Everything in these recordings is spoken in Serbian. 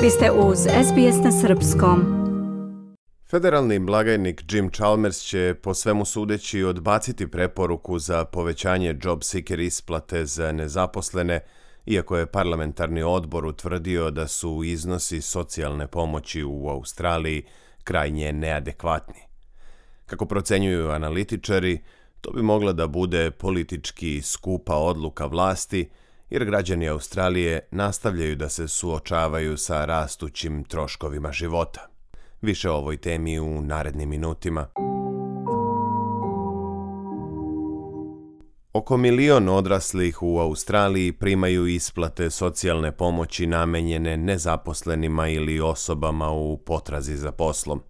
Vi ste uz SBS na srpskom. Federalni blagajnik Jim Chalmers će po svemu sudeći odbaciti preporuku za povećanje job seeker isplate za nezaposlene, iako je parlamentarni odbor utvrdio da su iznosi socijalne pomoći u Australiji krajnje neadekvatni. Kako procenjuju analitičari, to bi mogla da bude politički skupa odluka vlasti, jer građani Australije nastavljaju da se suočavaju sa rastućim troškovima života. Više o ovoj temi u narednim minutima. Oko 1 milion odraslih u Australiji primaju isplate socijalne pomoći namenjene nezaposlenima ili osobama u potrazi za poslom.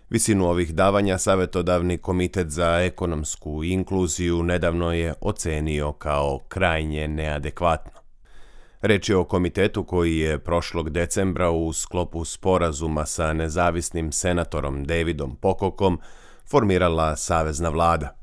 Visinu ovih davanja Savjetodavni komitet za ekonomsku inkluziju nedavno je ocenio kao krajnje neadekvatno. Reč je o komitetu koji je prošlog decembra u sklopu sporazuma sa nezavisnim senatorom Davidom Pocockom formirala savezna vlada.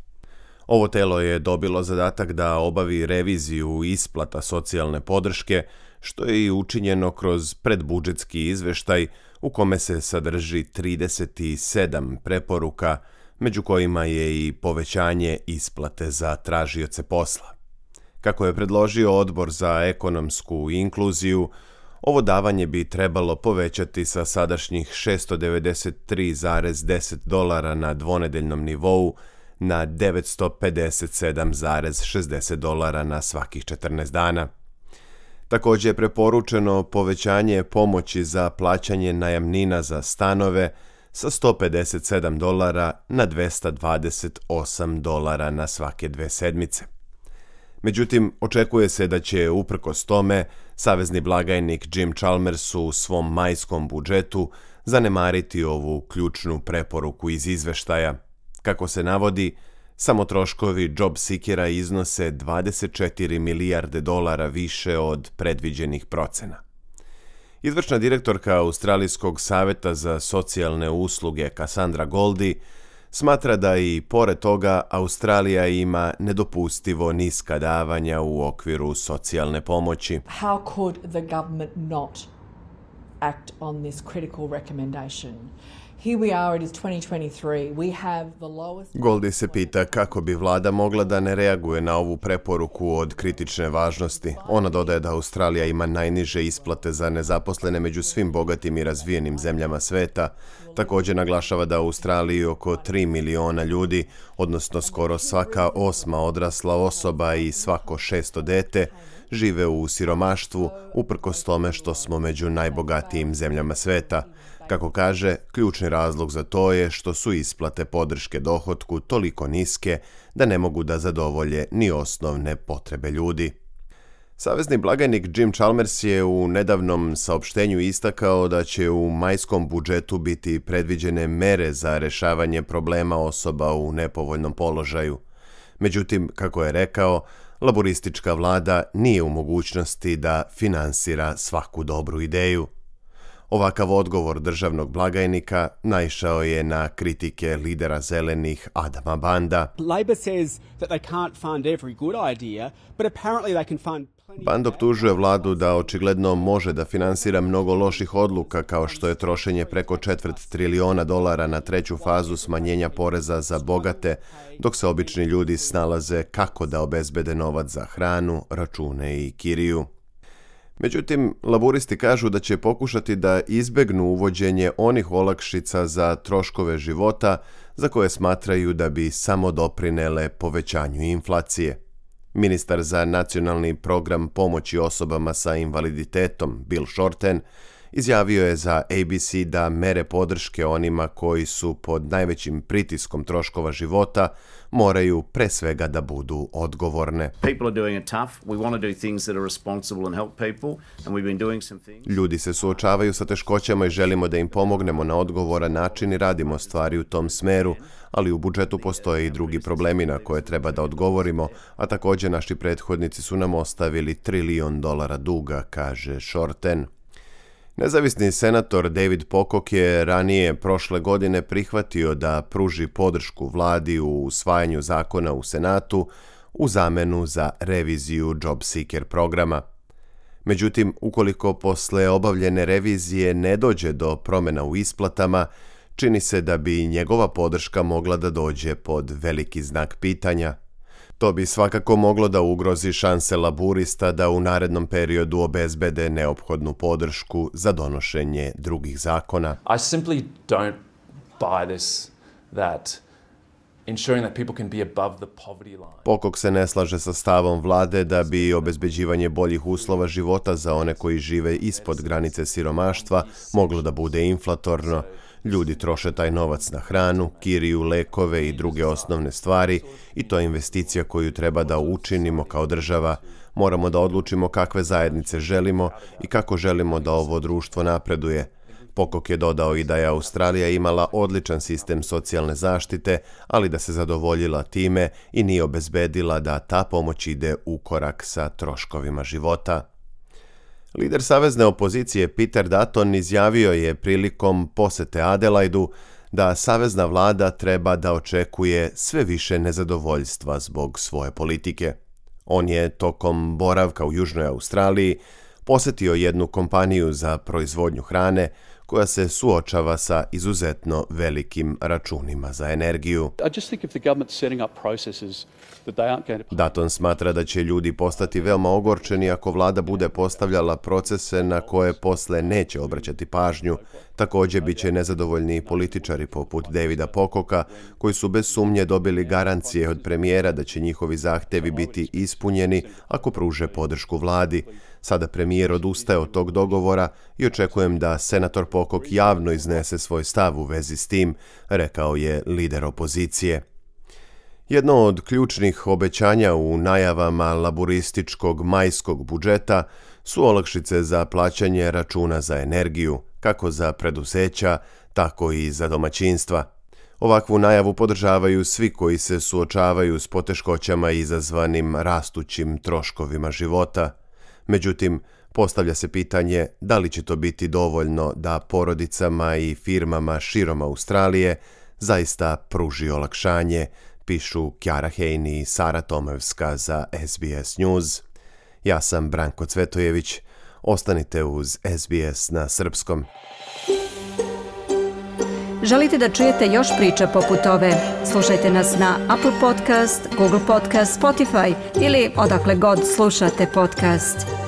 Ovo telo je dobilo zadatak da obavi reviziju isplata socijalne podrške, što je i učinjeno kroz predbudžetski izveštaj u kome se sadrži 37 preporuka, među kojima je i povećanje isplate za tražioce posla. Kako je predložio Odbor za ekonomsku inkluziju, ovo davanje bi trebalo povećati sa sadašnjih $693,10 na dvonedeljnom nivou na $957,60 na svakih 14 dana. Također je preporučeno povećanje pomoći za plaćanje najamnina za stanove sa $157 na $228 na svake 2 sedmice. Međutim, očekuje se da će uprkos tome savezni blagajnik Jim Chalmers u svom majskom budžetu zanemariti ovu ključnu preporuku iz izveštaja. Kako se navodi, samo troškovi job seekera iznose $24 milijarde više od predviđenih procena. Izvršna direktorka Australijskog saveta za socijalne usluge Cassandra Goldie smatra da i pored toga Australija ima nedopustivo niska davanja u okviru socijalne pomoći. How could the government not act on this critical recommendation? Here we are, it is 2023. We have the lowest... Goldie se pita kako bi vlada mogla da ne reaguje na ovu preporuku od kritične važnosti. Ona dodaje da Australija ima najniže isplate za nezaposlene među svim bogatim i razvijenim zemljama sveta. Također naglašava da u Australiji oko 3 miliona ljudi, odnosno skoro svaka 8. odrasla osoba i svako 6. dete, žive u siromaštvu, uprkos tome što smo među najbogatijim zemljama sveta. Kako kaže, ključni razlog za to je što su isplate podrške dohotku toliko niske da ne mogu da zadovolje ni osnovne potrebe ljudi. Savezni blagajnik Jim Chalmers je u nedavnom saopštenju istakao da će u majskom budžetu biti predviđene mere za rešavanje problema osoba u nepovoljnom položaju. Međutim, kako je rekao, laboristička vlada nije u mogućnosti da finansira svaku dobru ideju. Ovakav odgovor državnog blagajnika naišao je na kritike lidera zelenih Adama Banda. Labor says that they can't fund every good idea, but apparently they can fund Band optužuje vladu da očigledno može da finansira mnogo loših odluka kao što je trošenje preko $250 triliona na treću fazu smanjenja poreza za bogate, dok se obični ljudi snalaze kako da obezbede novac za hranu, račune i kiriju. Međutim, laburisti kažu da će pokušati da izbegnu uvođenje onih olakšica za troškove života za koje smatraju da bi samo doprinele povećanju inflacije. Ministar za nacionalni program pomoći osobama sa invaliditetom Bill Shorten izjavio je za ABC da mere podrške onima koji su pod najvećim pritiskom troškova života moraju pre svega da budu odgovorne. Ljudi se suočavaju sa teškoćama i želimo da im pomognemo na odgovoran način i radimo stvari u tom smeru, ali u budžetu postoje i drugi problemi na koje treba da odgovorimo, a također naši prethodnici su nam ostavili $1 trilion duga, kaže Shorten. Nezavisni senator David Pocock je ranije prošle godine prihvatio da pruži podršku vladi u usvajanju zakona u Senatu u zamenu za reviziju job seeker programa. Međutim, ukoliko posle obavljene revizije ne dođe do promjena u isplatama, čini se da bi njegova podrška mogla da dođe pod veliki znak pitanja. To bi svakako moglo da ugrozi šanse laburista da u narednom periodu obezbede neophodnu podršku za donošenje drugih zakona. I simply don't buy this that ensuring that people can be above the poverty line. Pocock se ne slaže sa stavom vlade da bi obezbeđivanje boljih uslova života za one koji žive ispod granice siromaštva moglo da bude inflatorno. Ljudi troše taj novac na hranu, kiriju, lekove i druge osnovne stvari i to je investicija koju treba da učinimo kao država. Moramo da odlučimo kakve zajednice želimo i kako želimo da ovo društvo napreduje. Pocock je dodao i da je Australija imala odličan sistem socijalne zaštite, ali da se zadovoljila time i nije obezbedila da ta pomoć ide u korak sa troškovima života. Lider savezne opozicije Peter Dutton izjavio je prilikom posete Adelaidu da savezna vlada treba da očekuje sve više nezadovoljstva zbog svoje politike. On je tokom boravka u Južnoj Australiji posetio jednu kompaniju za proizvodnju hrane koja se suočava sa izuzetno velikim računima za energiju. Dutton smatra da će ljudi postati veoma ogorčeni ako vlada bude postavljala procese na koje posle neće obraćati pažnju. Također bit će nezadovoljni političari poput Davida Pococka, koji su bez sumnje dobili garancije od premijera da će njihovi zahtevi biti ispunjeni ako pruže podršku vladi. Sada premijer odustaje od tog dogovora i očekujem da senator Pocock javno iznese svoj stav u vezi s tim, rekao je lider opozicije. Jedno od ključnih obećanja u najavama laburističkog majskog budžeta su olakšice za plaćanje računa za energiju, kako za preduzeća, tako i za domaćinstva. Ovakvu najavu podržavaju svi koji se suočavaju s poteškoćama izazvanim rastućim troškovima života. Međutim, postavlja se pitanje da li će to biti dovoljno da porodicama i firmama širom Australije zaista pruži olakšanje, pišu Kjara Hejni i Sara Tomevska za SBS News. Ja sam Branko Cvetojević. Ostanite uz SBS na srpskom. Želite da čujete još priča poput ove? Slušajte nas na Apple Podcast, Google Podcast, Spotify ili odakle god slušate podcast.